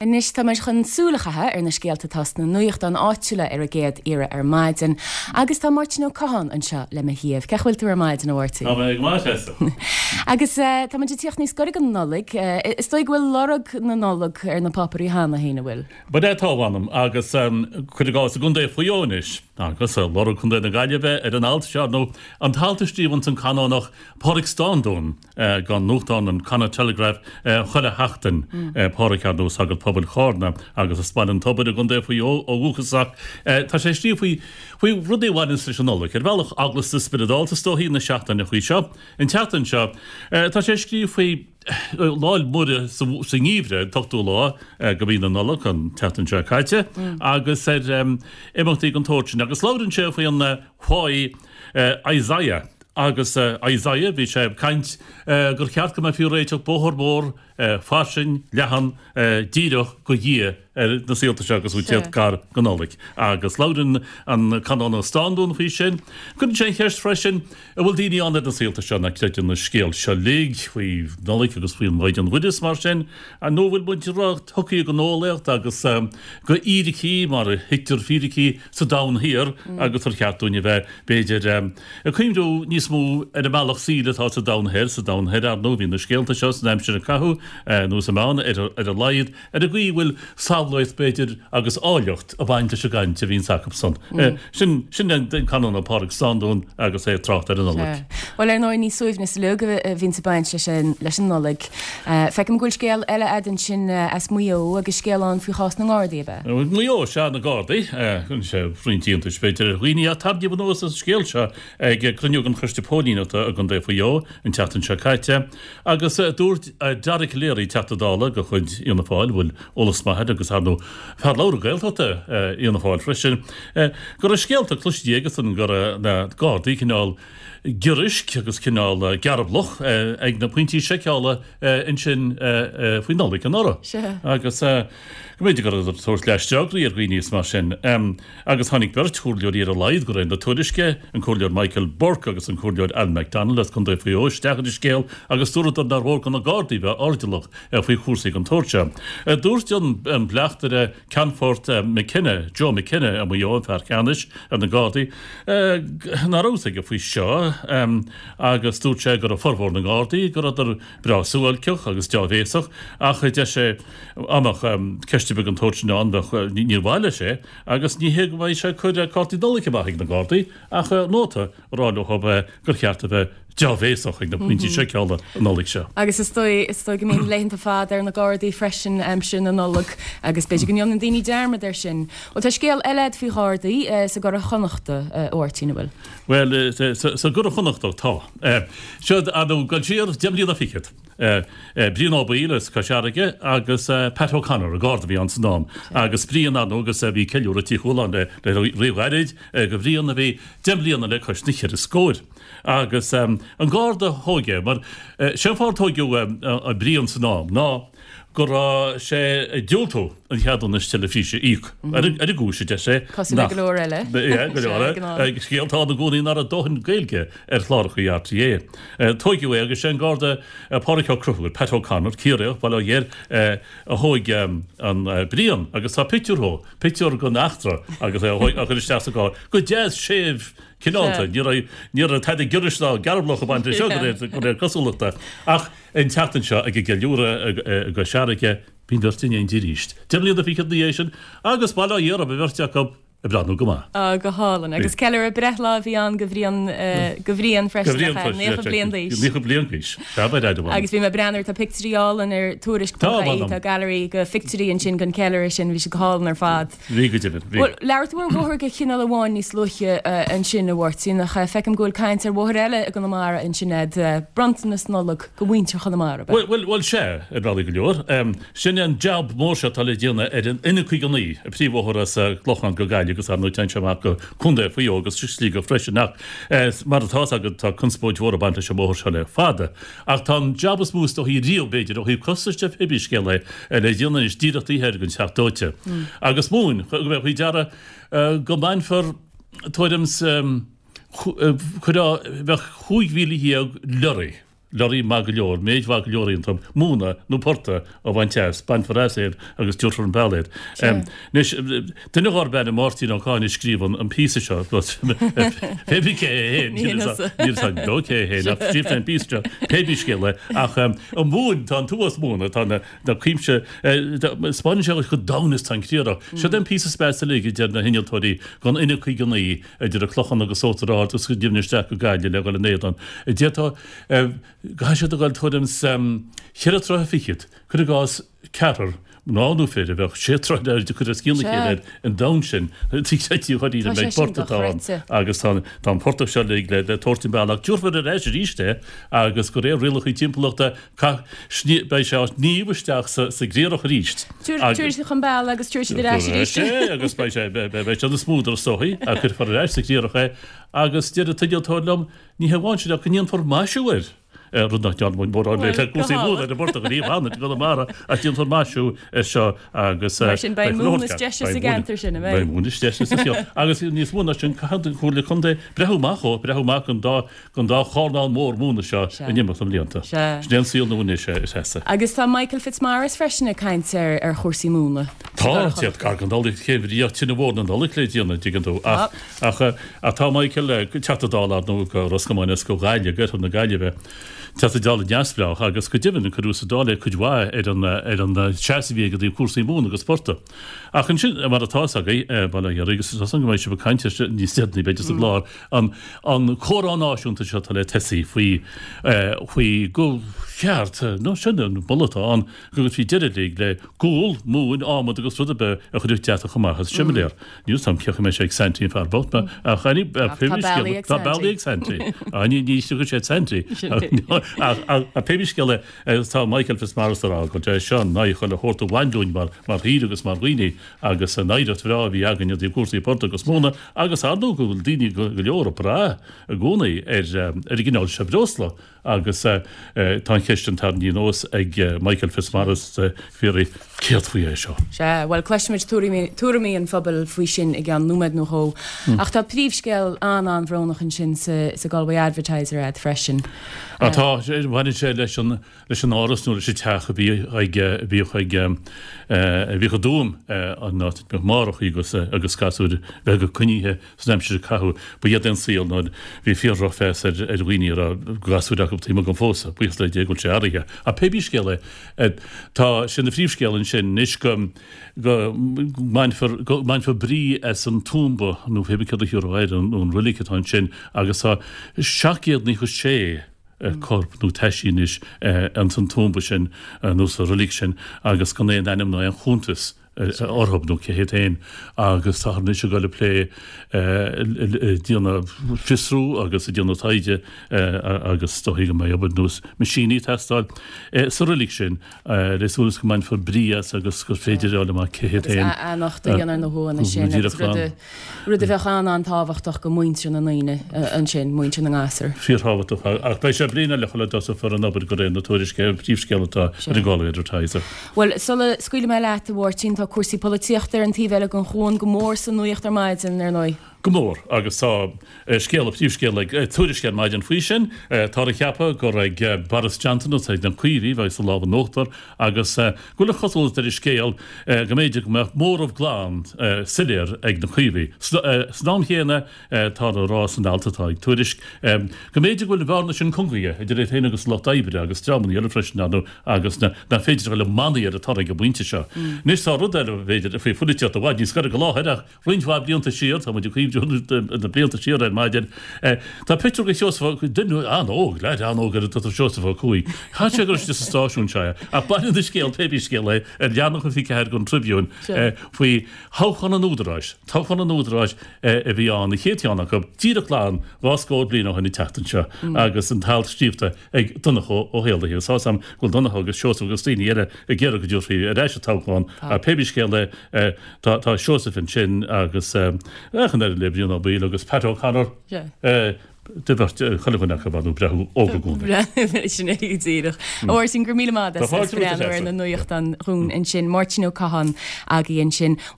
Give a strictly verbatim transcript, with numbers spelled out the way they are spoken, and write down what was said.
Anois tá muid chun súil a chaitheamh ar na scéalta atá sna nuachtáin áitiúla ar an gcéad iarraidh ar maidin, agus tá Máirtín Ó Catháin anseo le mo thaobh. Cén chaoi a bhfuil tú ar maidin, a Mháirtín? Tá mé go maith, Tessa. Agus tá muid ag tíocht níos gaire don Nollaig. Is dóigh go bhfuil lorg na Nollag ar na páipéirí cheana féin, an bhfuil? Bhuel tá, mh'anam, agus cuir i gcás i gContae Mhaigh Eo anois, agus lorg Chontae na Gaillimhe ar an alt seo, nó an t-alt a scríobhanns an Canónach Pádraig Standún don nuachtán an Connacht Telegraph chuile sheachtain, Pádraig ar ndóigh sagart pobail Chárna agus as Baile an Tobair i gContae Mhaigh Eo ó dhúchas ach tá sé ag scríobh faoi faoi rudaí a bhaineanns leis an Nollaig, ar bhealach eaglasta spioradálta is dóichí na seachtaineachaí seo. An tseachtain seo tá sé ag scríobh faoi Lá 'le Muire sa ngeimhreadh, an t-ochtú lá de mhí na Nollag, an tseachtain seo caite, agus ar imeachtaí den tsórt sin agus labhrann sé faoi an fáidh Isaiah. Agus Isaiah, bhí sé ag caint gur cheart go mbeifí ag réiteach bóthar mór fairsing, leathan, díreach go Dhia ar na saolta seo agus tú ag tíocht gar don Nollaig. Agus labhrann an Canónach Standún faoi sin. Cuireann sé an cheist freisin, an bhfuil daoine ann ar na saolta seo nach gcreideann na scéal seo uilig faoi Nollaig agus faoin Mhaighdean Mhuire is mar sin, nó an bhfuil muid ró-thugtha don eolaíocht agus go fhíricí mar a thuigtear fíricí sa domhan thiar agus ar cheart dúinn a bheith, b'fhéidir, ag cuimhniú níos mó ar an mbealach saoil atá sa domhan thoir, sa domhan thoir, ar ndóigh, bhí na scéalta seo san aimsir a caitheadh, nó sa meán, ar a laghad, ar an gcaoi a bhfuil samhlaíocht, b'fhéidir, agus áilleacht ag baint leis an gcaint a bhíonns acusan. Sin, sin an Canónach Pádraig Standún agus é ag trácht ar an Nollaig. Bhuel, ar ndóigh, ní suaimhneas uilig a bhíonns ag baint leis an, leis an Nollaig. Feicim go bhfuil scéal eile a'd ansin as Maigh Eo agus scéal ann faoi chás na nGardaí, ab ea? Maigh Eo, sea, na Gardaí. Cuireann sé roinnt iontais, b'fhéidir, ar dhaoine ach tarraingíodh anuas an scéal seo ag cruinniú den Choiste Póilíneachta i gContae Mhaigh Eo an tseachtain seo caite agus dúirt Dara Calleary, Teachta Dála de chuid Fhianna Fáil, a bhfuil eolas maith air agus, ar ndóigh, fear labhartha Gaeltachta Fhianna Fáil freisin, go raibh scéalta cloiste aigesan go raibh na Gardaí cineál giorraisc agus cineál gearblach ag na pointí seiceála ansin faoi Nollaig anuraidh. Agus go mb'fhéidir go rabhadar ag tabhairt leaisteograí ar dhaoine is mar sin. Agus tháinig beirt chomhairleoirí ar a laghad de réir na tuairisce, an Comhairleoir Michael Burke agus an Comhairleoir Alan McDonald as Contae Mhaigh Eo isteach ar an scéal agus dúradar nár mhór do na Gardaí bheith airdeallach faoi chúrsaí den tsórt seo. Dúirt an bleachtaire Ceannfort McKenna, Joe McKenna i Maigh Eo, an fear ceannais ar na Gardaí, nach raibh a fhios aige faoi seo agus dúirt sé go raibh formhór na nGardaí, go rabhadar breá suáilceach agus deá-bhéasach ach deir sé dá mbeadh ceist ar bith den tsórt sin ann bheadh, níor mhaith leis é agus ní hé go mbeidh sé ag cur cártaí Nollag amach ag na Gardaí ach nóta a rá leo gur cheart a bheith deá-bhéasach ag na pointí seiceála an Nollaig seo. Agus is dóigh, is dóigh go mbíonn laethanta fada ar na Gardaí freisin aimsir na Nollag agus b'fhéidir go ndéanann daoine dearmad air sin. Bhuel tá scéal eile agat faoi Ghardaí sa gCuradh Chonnachta, a Mháirtín, an bhfuil? Bhuel, sa gCuradh Chonnachtach tá. Seo, ar ndóigh, dul siar deich mbliana fichead. Brian Ó Baoill as Cois Fharraige agus Pat O'Connor, an Garda a bhí ann san am. Agus Brian, ar ndóigh, agus bhí ceiliúradh Tí Chualáin le ríghairid do Bhrian a bhí deich mbliana le cois na cheithre scóir. Agus an Garda a thóg é, mar sé an fáth ar tóigeadh Brian san am ná go raibh sé ag diúltú an cheadúnas teilifíse a íoc ar an gcúis, a deir sé, Cosúil le go leor eile. Go leor eile. Scéalta ann i gcónaí nach raibh dóthain Gaeilge ar chláracha RTÉ. Tóigeadh é agus sé an Garda Pádraig Ó Conchúir, Pat O'Connor, Ciarraíoch, Baile Átha Ghaorthaidh, a thóig an Brian agus tá pictiúr dhó, pictiúr den eachtra agus é á chur isteach sa gcarr. Go deas séimh cineálta. Ní raibh, ní raibh tada giorraisc ná gearblach ag baint leis seo de réir, de réir cosúlachta. Ach an tseachtain seo ag an gceiliúradh i gCois Fharraige, bhí an bheirt in éindí arís. Deich mbliana fichead ina dhiaidh sin agus bail ó Dhia orthu, an bheirt acu ag breathnú go maith. Á, go hálainn. Agus ceiliúradh breithlá a bhí ann do Bhrian, do Bhrian freisin, nach ea? Naocha bliain d'aois. Naocha bliain d'aois. Sea, ba fhreagra mhaith. Agus bhí mé ag breathnú ar, tá pictiúirí álainn ar Tuairisc ponc ie, tá gallery de phictiúirí ansin den cheiliúradh sin, bhí siad go hálainn ar fad. Bhí go deimhin, bhí. Bhuel, labhair tú ar bhóthar de chineál amháin níos luaithe ansin, a Mháirtín, ach feicim go bhfuil caint ar bhóthar eile i gConamara ansin a'd, bronntanas Nollag do mhuintir Chonamara, ab ea? Bhuel, bhuel, sea, ar bhealaí go leor. Sin é an jab mór seo atá le déanamh ar an N caoga naoi, an príomhbhóthar as an gClochán go Gaillimh agus ar ndóigh téann sé amach go Contae Mhaigh Eo agus Sligeach freisin ach mar atá 'fhios agat tá conspóid mhór ag baint leis an mbóthar seo le fada. Ach tá an jab is mó is dóichí riamh, b'fhéidir, ó thaobh costais de pé bí scéal é, le déanamh anois díreach taobh thoir den Teach Dóite. Agus mhúin, go mbeadh faoi deara go mbainfear tuairim 's, chuir, bheadh chúig mhíle dhéag lorry, Lorry maith go leor, méid mhaith go leor iontu, móna nó portach a bhaint as, bainfear as iad agus tabharfar an bealach iad. Anois, duine dárb ainm Máirtín Ó Cadhain a scríobh an píosa seo, pé bí cé é féin, níl a fhios agam beo cé é féin, ach scríobh sé an píosa seo, pé bí scéal é, ach an mhóin, tá an t-uafás móna, tá na cuimse, 'spáineann sé chomh domhain is tá an criathrach. Seo é an píosa is measa uilig, a deir na hinnealtóirí, den N caoga naoi, idir an Clochán agus Uachtar Ard agus go deimhin isteach go Gaillimh le dhul in éadan. D'fhéadfá Caithfidh siad a dhul tuairim 's cheithre troithe fichead, cuir i gcás ceathrar mná nó fir a bheadh sé troithe in airde curtha os cionn a chéile ar an domhan sin, trí dháiríre an méid portaigh atá ann agus tá an portach seo uilig le tabhairt an bealach. Tabharfar ar ais arís é agus de réir rialacha timpeallachta beidh sé á shníomh isteach sa gcriathrach arís. Tabharfaidh siad chun bealaigh agus tabharfaidh siad ar ais arís é. Agus beidh sé beidh sé ina smúdar is dóichí ach cuirfear ar ais sa gcriathrach é agus deir an t-innealtóir liom, Ní hamháin sin ach go ndéanfar maisiú air, rud nach ndearna muid mórán le cúrsaí móna ar an bportach ariamh cheana i gConamara, ach déanfar maisiú air seo agus Mar sin beidh móin is deise sa gceantar sin, an mbeidh? Beidh móin is deise sa cheantar. Agus níos mó ná sin, caithfidh an Chomhairle Contae breathú amach ó, breathú amach an dá, an dá chornán mór móna seo in imeacht na mblianta. Sin é an saol nua anois, a Threasa. Agus tá Michael Fitzmaurice freisin ag caint ar ar chúrsaí móna. Tá, téad gar don Nollaig, cé bhí tine mhór na Nollag le déanamh, dtuigeann tú, ach, ach, ach tá Michael, Teachta Dála ar ndóigh go Ros Comáin is go Gaillimh, go Oirthear na Gaillimhe, Teachta Dála neamhspleách agus go deimhin cuireadh sa Dáil é cuid mhaith ar an ar an seasamh a bhí aige i dtaobh cúrsaí móna agus portaigh. Ach ansin, mar atá fhios agaibh, bail ó Dhia oraibh agus tá súil agam go mbeidh sibh ag caint air níos deireanaí b'fhéidir sa gclár, an an comhrá náisiúnta seo atá le tosaí faoi faoi gur cheart, nó sin an moladh atá ann, go gcuirfí deireadh uilig le gual, móin, adhmad agus rud ar bith a chuirfeadh deatach amach as similéar. Níl 'fhios a'm cén chaoi a mbeidh sé ag Santy an fear bocht ach any pé Tá scéal bealaí ag tá bealaí ag Santy. Á ní ní thiocfaidh sé Santy. Ach ach pé scéal é tá Michael Fitzmaurice ag rá go bhfuil sé seo in aghaidh chuile shórt a bhain dúinn mar mar thír agus mar dhaoine agus an oidhreacht bhreá a bhí againn i dtaobh cúrsaí portaigh agus móna agus ar ndóigh go bhfuil daoine go leor ag brath i gcónaí ar ar an gcineál seo breosla Agus tá an cheist sin tarraingthe anuas ag Michael Fitzmaurice ag fiafraí céard faoi é seo? Sea, bhuel, cloisfimid tuairimí an phobail faoi sin i gceann nóiméad nó dhó. Ach tá príomhscéal an-an-bhrónach ansin sa Galway Advertiser a'd freisin. Á tá, baineann sé leis an leis an áras nó leis an teach a bhí ag a bhíodh ag a bhíodh i dTuaim an áit a mbíodh máithreacha agus agus gasúir bheaga coinnithe San aimsir a caitheadh, ba iad é an saol nuair bhí fíor-dhrochmheas ar ar dhaoine a raibh gasúir acu taobh amuigh den phósadh, buíochas le Dia go bhfuil sé athraithe. Ach pé bí scéal é, tá sé ina phríomhscéal ansin anois go go mbainfear go mbainfear brí as an tuamba nó pé bí céard a thiúrfá air, nó an roilig atá ansin agus tá seacht gcéad naocha sé corp nó taisí anois ins an tuamba sin nó sa roilig sin agus gan aon ainm ná aon chuntas orthu nó cé hiad féin agus táthar anois ag dul ag plé ag déanamh fiosrú agus ag déanamh taighde agus is dóichí go mbeidh obair nós meaisíní ag teastáil sa roilig sin le súil is go mbainfear brí as agus gur féidir a fháil amach cé hiad féin. Agus athnochtadh a dhéanamh ar na huaigheanna sin agus rud a rud a bheadh an-an-tábhachtach go muintir na ndaoine ansin, muintir na ngasúr. Fíorthábhachtach ach beidh sé bliain eile sula dtosófar an obair de réir na tuairisce, an príomhscéal atá ar an Galway Advertiser. Bhuel, sula scaoilfidh mé leat, a Mháirtín, tá cúrsaí polaitíochta ar an taobh eile den chuan go mór sa nuacht ar maidin, ar ndóigh. Go mór, agus tá scéal, príomhscéal ag Tuairisc ar maidin faoi sin. Táthar ag ceapadh gur ag Boris Johnson agus ag na Caomhaigh a bheas an lámh in uachtar agus go bhfuil an chosúlacht ar an scéal go mb'fhéidir go mbeadh móramh glan soiléir ag na Caomhaigh. San am chéanna, táthar á rá san alt atá ag Tuairisc go mb'fhéidir go bhfuil an bhearna sin cungaithe idir iad féin agus an Lucht Oibre agus dreamanna eile freisin, ar ndóigh, agus nach féidir a dhul ag manaí ar an toradh ag an bpointe seo. Anois tá rud eile, b'fhéidir, faoi pholaitíocht i bhfad níos gaire go láthair ach roinnt mhaith blianta siar, tá muid ag cuimhniú ar na blianta siar ar maidin, tá pictiúr de Sheosamh, duine an-óg, leaid an-óg ar a dtugtar Seosamh Ó Cuaig. Caithfidh sé go raibh sé sa stáisiún seo é. Ach baineann an scéal, pé bí scéal é, ar leathanach a fiche ceathair den Tribune faoi thoghchán an Údaráis, toghchán an Údaráis a bhí ann, an chéad cheann acu, díreach glan dhá scór bliain ó shin an tseachtain seo agus an t-alt scríobhta ag Donncha Ó hÉallaithe. Agus tá 'fhios a'm go bhfuil Donncha agus Seosamh agus daoine eile ag iarraidh go dtabharfaí ar ais an toghchán ach pé bí scéal é, tá tá Seosamh ansin agus ach an oiread le Brian Ó Baoill agus Pat O'Connor. De bheirt chuile dhuine acu ar ndóigh breá óg i gcónaí. Sin é go díreach. A Mháirtín, go raibh míle maith agat as breathnú ar na nuachtáin dhúinn ansin. Máirtín Ó Catháin againn ansin.